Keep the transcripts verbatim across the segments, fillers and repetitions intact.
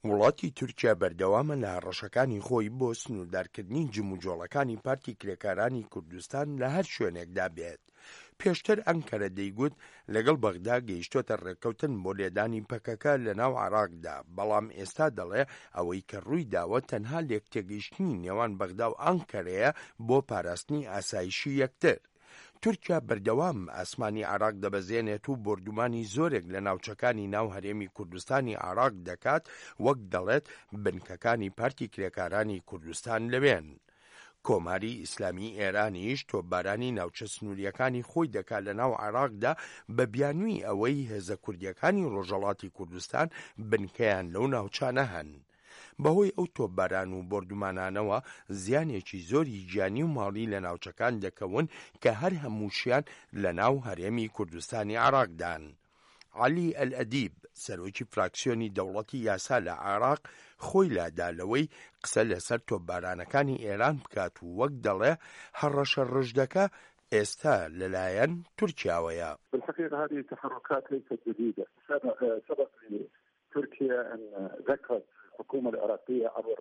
وڵاتی تورکیا بەردەوامە لە هەڕەشەکانی خۆی بۆ سنووردارکردنی جموجۆڵەکانی پارتی کرێکارانی کوردستان لە هەر شوێنێکدا بێت. پێشتر ئەنکەرە دەیگوت لەگەڵ بەغدا گەیشتۆتە ڕێککەوتن بۆ لێدانی پەکەکە لە ناو عێراقدا، بەڵام ئێستا دەڵێ ئەوەی کە ڕووی داوە تەنها لێکتێگەیشتنی نێوان بەغدا و ئەنکەرەیە بۆ پاراستنی ئاسایشی یەکتر. تورکیا بەردەوام ئاسمانی عێراق دەبەزێنێت و بۆردومانی زۆرێک لە ناوچەکانی ناو هەرێمی کوردستانی عێراق دەکات، وەک دەڵێت بنکەکانی پارتی کرێکارانی کوردستان لەوێن. کۆماری ئیسلامی ئێرانیش تۆپبارانی ناوچە سنووریەکانی خۆی دەکات لە ناو عێراقدا بە بیانووی ئەوەی هێزە کوردیەکانی ڕۆژهەڵاتی کوردستان بنکەیان لەو ناوچانە هەن. بەهۆی ئەو تۆپباران و بۆردومانانەوە زیانێکی زۆری گیانی و ماڵی لە ناوچەکان دەکەون کە هەر هەمووشیان لە ناو هەرێمی کوردستانی عێراقدان. عەلی ئەلئەدیب، سەرۆکی فراکسیۆنی دەوڵەتی یاسا لە عێراق، خۆی لادا لەوەی قسە لەسەر تۆپبارانەکانی ئێران بکات و وەک دەڵێ هەڕەشە ڕژدەکە ئێستا لەلایەن تورکیاوەیە. بالحقيقة هذه التحركات ليست جديدة. سبق لتركيا أن ذكرت الحكومة العراقية عبر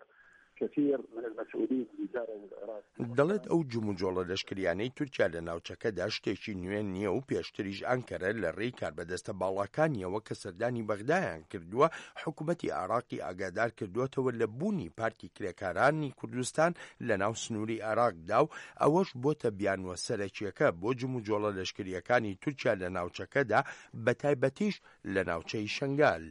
كثير من المسؤولين اللي زاروا العراق. دەڵێت ئەو جموجۆڵە لەشکریانەی تورکیا لە ناوچەکەدا شتێکی نوێ نییە و پێشتریش ئەنکەرە لە ڕێی کاربەدەستە باڵاکانیەوە کە سەردانی بەغدایان کردووە حکوومەتی عێراقی ئاگادار کردووەتەوە لە بوونی پارتی کرێکارانی کوردستان لە ناو سنووری عێراقدا و ئەوەش بۆتە بیانوە سەرەکیەکە بۆ جموجۆڵە لەشکریەکانی تورکیا لە ناوچەکەدا، بەتایبەتیش لە ناوچەی شنگال.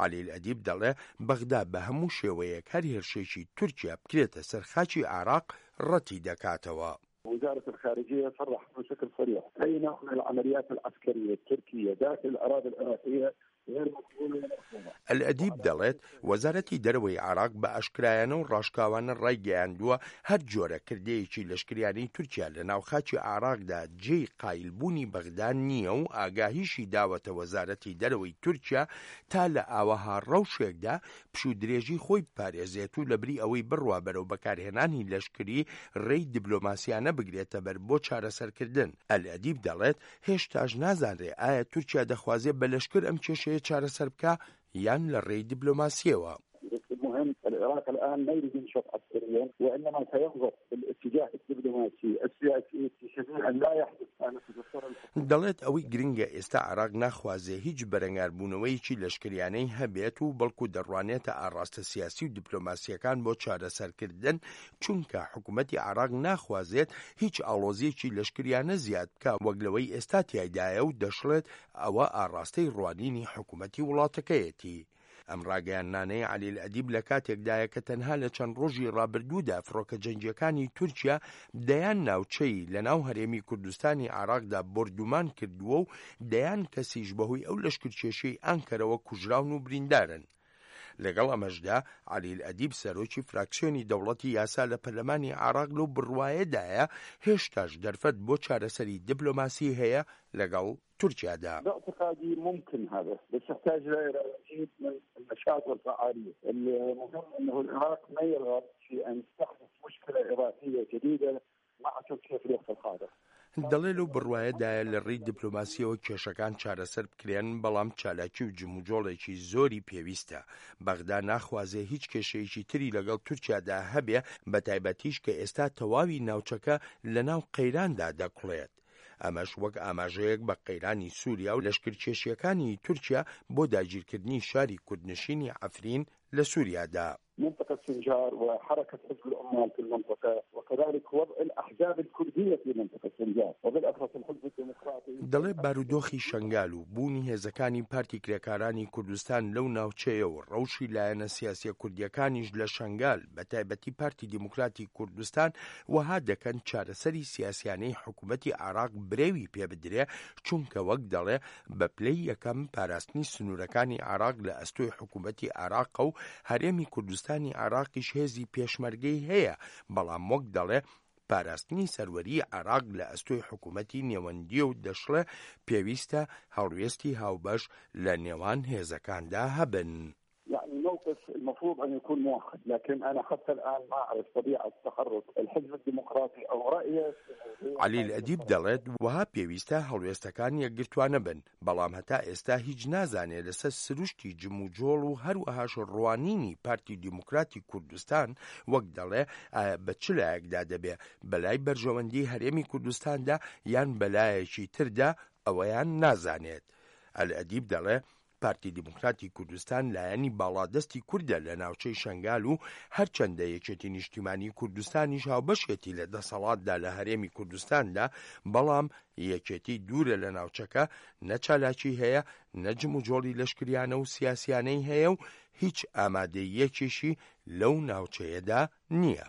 عەلی ئەدیب دەڵێ بەغدا بە هەموو شێوەیەک هەر هێرشێکی تورکیا بکرێتە سەر خاکی عێراق ڕەتی دەکاتەوە. وزارة الخارجية صرحت بشكل صريح أي نوع من العمليات العسكرية التركية داخل الأراضي العراقية غير مقبولة ومرفوضة. ئەلئەدیب دەڵێت وەزارەتی دەرەوەی عێراق بە ئاشکرایانە و ڕاشکاوانە ڕایگەیاندووە هەر جۆرە کردەیەکی لەشکریانەی تورکیا لە ناو خاکی عێراقدا جێی قایلبوونی بەغدا نییە و ئاگاهیشی داوەتە وەزارەتی دەرەوەی تورکیا تا لە ئاوەها ڕەوشێکدا پشوودرێژی خۆی بپارێزێت و لەبری ئەوەی بڕوا بەرەو بەکارهێنانی لەشکری ڕێی دیبلۆماسیانە بگرێتە بەر بۆ چارەسەرکردن. ئەلئەدیب دەڵێت هێشتاش نازانرێ ئایا تورکیا دەخوازێت بە لەشکر ئەم کێشەیە چارەسەر بکە یان لە ڕێی دیبلۆماسیەوە. المهم العراق الآن لا يريد ينشط عسكريا وإنما سينظر بالاتجاه الدبلوماسي السياسي في سبيل أن لا يحدث. دەڵێت ئەوەی گرنگە ئێستا عێراق ناخوازێ هیچ بەرەنگاربوونەوەیەکی لەشکریانەی هەبێت و بەڵکو دەڕوانێتە ئاڕاستە سیاسی و دیپلۆماسیەکان بۆ چارەسەرکردن، چونکە حکوومەتی عێراق ناخوازێت هیچ ئاڵۆزیەکی لەشکریانە زیاد بکە وەک لەوەی ئێستا تیایدایە و دەشڵێت ئەوە ئاڕاستەی ڕوانینی حکوومەتی وڵاتەکەیەتی. ئەم ڕاگەیاندنانەی عەلی ئەدیب لە کاتێکدایە کە تەنها لە چەند ڕۆژی ڕابردوودا فڕۆکە جەنگیەکانی تورکیا دەیان ناوچەی لە ناو هەرێمی کوردستانی عێراقدا بۆردومان کردووە و دەیان کەسیش بەهۆی ئەو لەشکرکێشەی ئانکەرەوە کوژراون و بریندارن. لەگەڵ ئەمەشدا عەلی ئەدیب سەرۆکی فراکسیۆنی دەوڵەتی یاسا لە پەرلەمانی عێراق لەو بڕوایەدایە هێشتاش دەرفەت بۆ چارەسەری دیپلۆماسی هەیە لەگەڵ تورکیادا. باعتقادي ممكن هذا، بس يحتاج الى مزيد من النشاط والفعاليه. المهم انه العراق ما يرغب في ان تحدث مشكله اضافيه جديده مع تركيا في الوقت الحاضر. دەڵێ لەو بڕوایەدایە لە ڕێی دیپلۆماسیەوە کێشەکان چارەسەر بکرێن، بەڵام چالاکی و جموجۆڵێکی زۆری پێویستە. بەغدا ناخوازێ هیچ کێشەیەکی تری لەگەڵ تورکیادا هەبێ، بە تایبەتیش کە ئێستا تەواوی ناوچەکە لە ناو قەیراندا دەکوڵێت. ئەمەش وەک ئاماژەیەک بە قەیرانی سووریا و لەشکرکێشیەکانی تورکیا بۆ داگیرکردنی شاری کوردنشینی عەفرین لە سووریادا. منطقة سنجار وحركة حزب العمال في المنطقة وكذلك وضع الأحزاب الكردية في منطقة سنجار وبالأخص الحزب الديمقراطي. دەڵێ بارودۆخی شنگال و بوونی هێزەکانی پارتی کرێکارانی کوردستان لەو ناوچەیە و ڕەوشی لایەنە سیاسیە کوردیەکانیش لە شنگال بە تایبەتی پارتی دیموکراتی کوردستان وەها دەکەن چارەسەری سیاسیانەی حکوومەتی عێراق برێوی پێ بدرێ، چونکە وەک دەڵێ بە پلەی یەکەم پاراستنی سنوورەکانی عێراق لە ئەستۆی حکوومەتی عێراقە و هەرێمی کوردستان عێراقیش هێزی پێشمەرگەی هەیە، بەڵام وەک دەڵێ پاراستنی سەروەری عێراق لە ئەستۆی حکوومەتی نێوەندیە و دەشڵێ پێویستە هەڵوێستی هاوبەش لە نێوان هێزەکاندا هەبن. يعني الموقف المفروض أن يكون موحد، لكن أنا حتى الآن ما أعرف طبيعة تحرك الحزب الديمقراطي أو رأيه. عەلی ئەدیب دەڵێت وەها پێویستە هەڵوێستەکان یەکگرتوانە بن، بەڵام هەتا ئێستا هیچ نازانێ لەسەر سروشتی جموجۆڵ و هەروەهاش ڕوانینی پارتی دیموکراتی کوردستان، وەک دەڵێ ئایا بە چ لایەکدا دەبێ، بەلای بەرژەوەندی هەرێمی کوردستاندا یان بەلایەکی تردا، ئەوەیان نازانێت. ئەلئەدیب دەڵێ پارتی دیموکراتی کوردستان لایەنی باڵادەستی کوردە لە ناوچەی شنگال و هەرچەندە یەکێتی نیشتیمانی کوردستانیش هاوبەشێتی لە دەسەڵاتدا لە هەرێمی کوردستاندا، بەڵام یەکێتی دوورە لە ناوچەکە، نە چالاکی هەیە، نە جموجۆڵی لەشکریانە و سیاسیانەی هەیە و هیچ ئامادەیەکیشی لەو ناوچەیەدا نییە.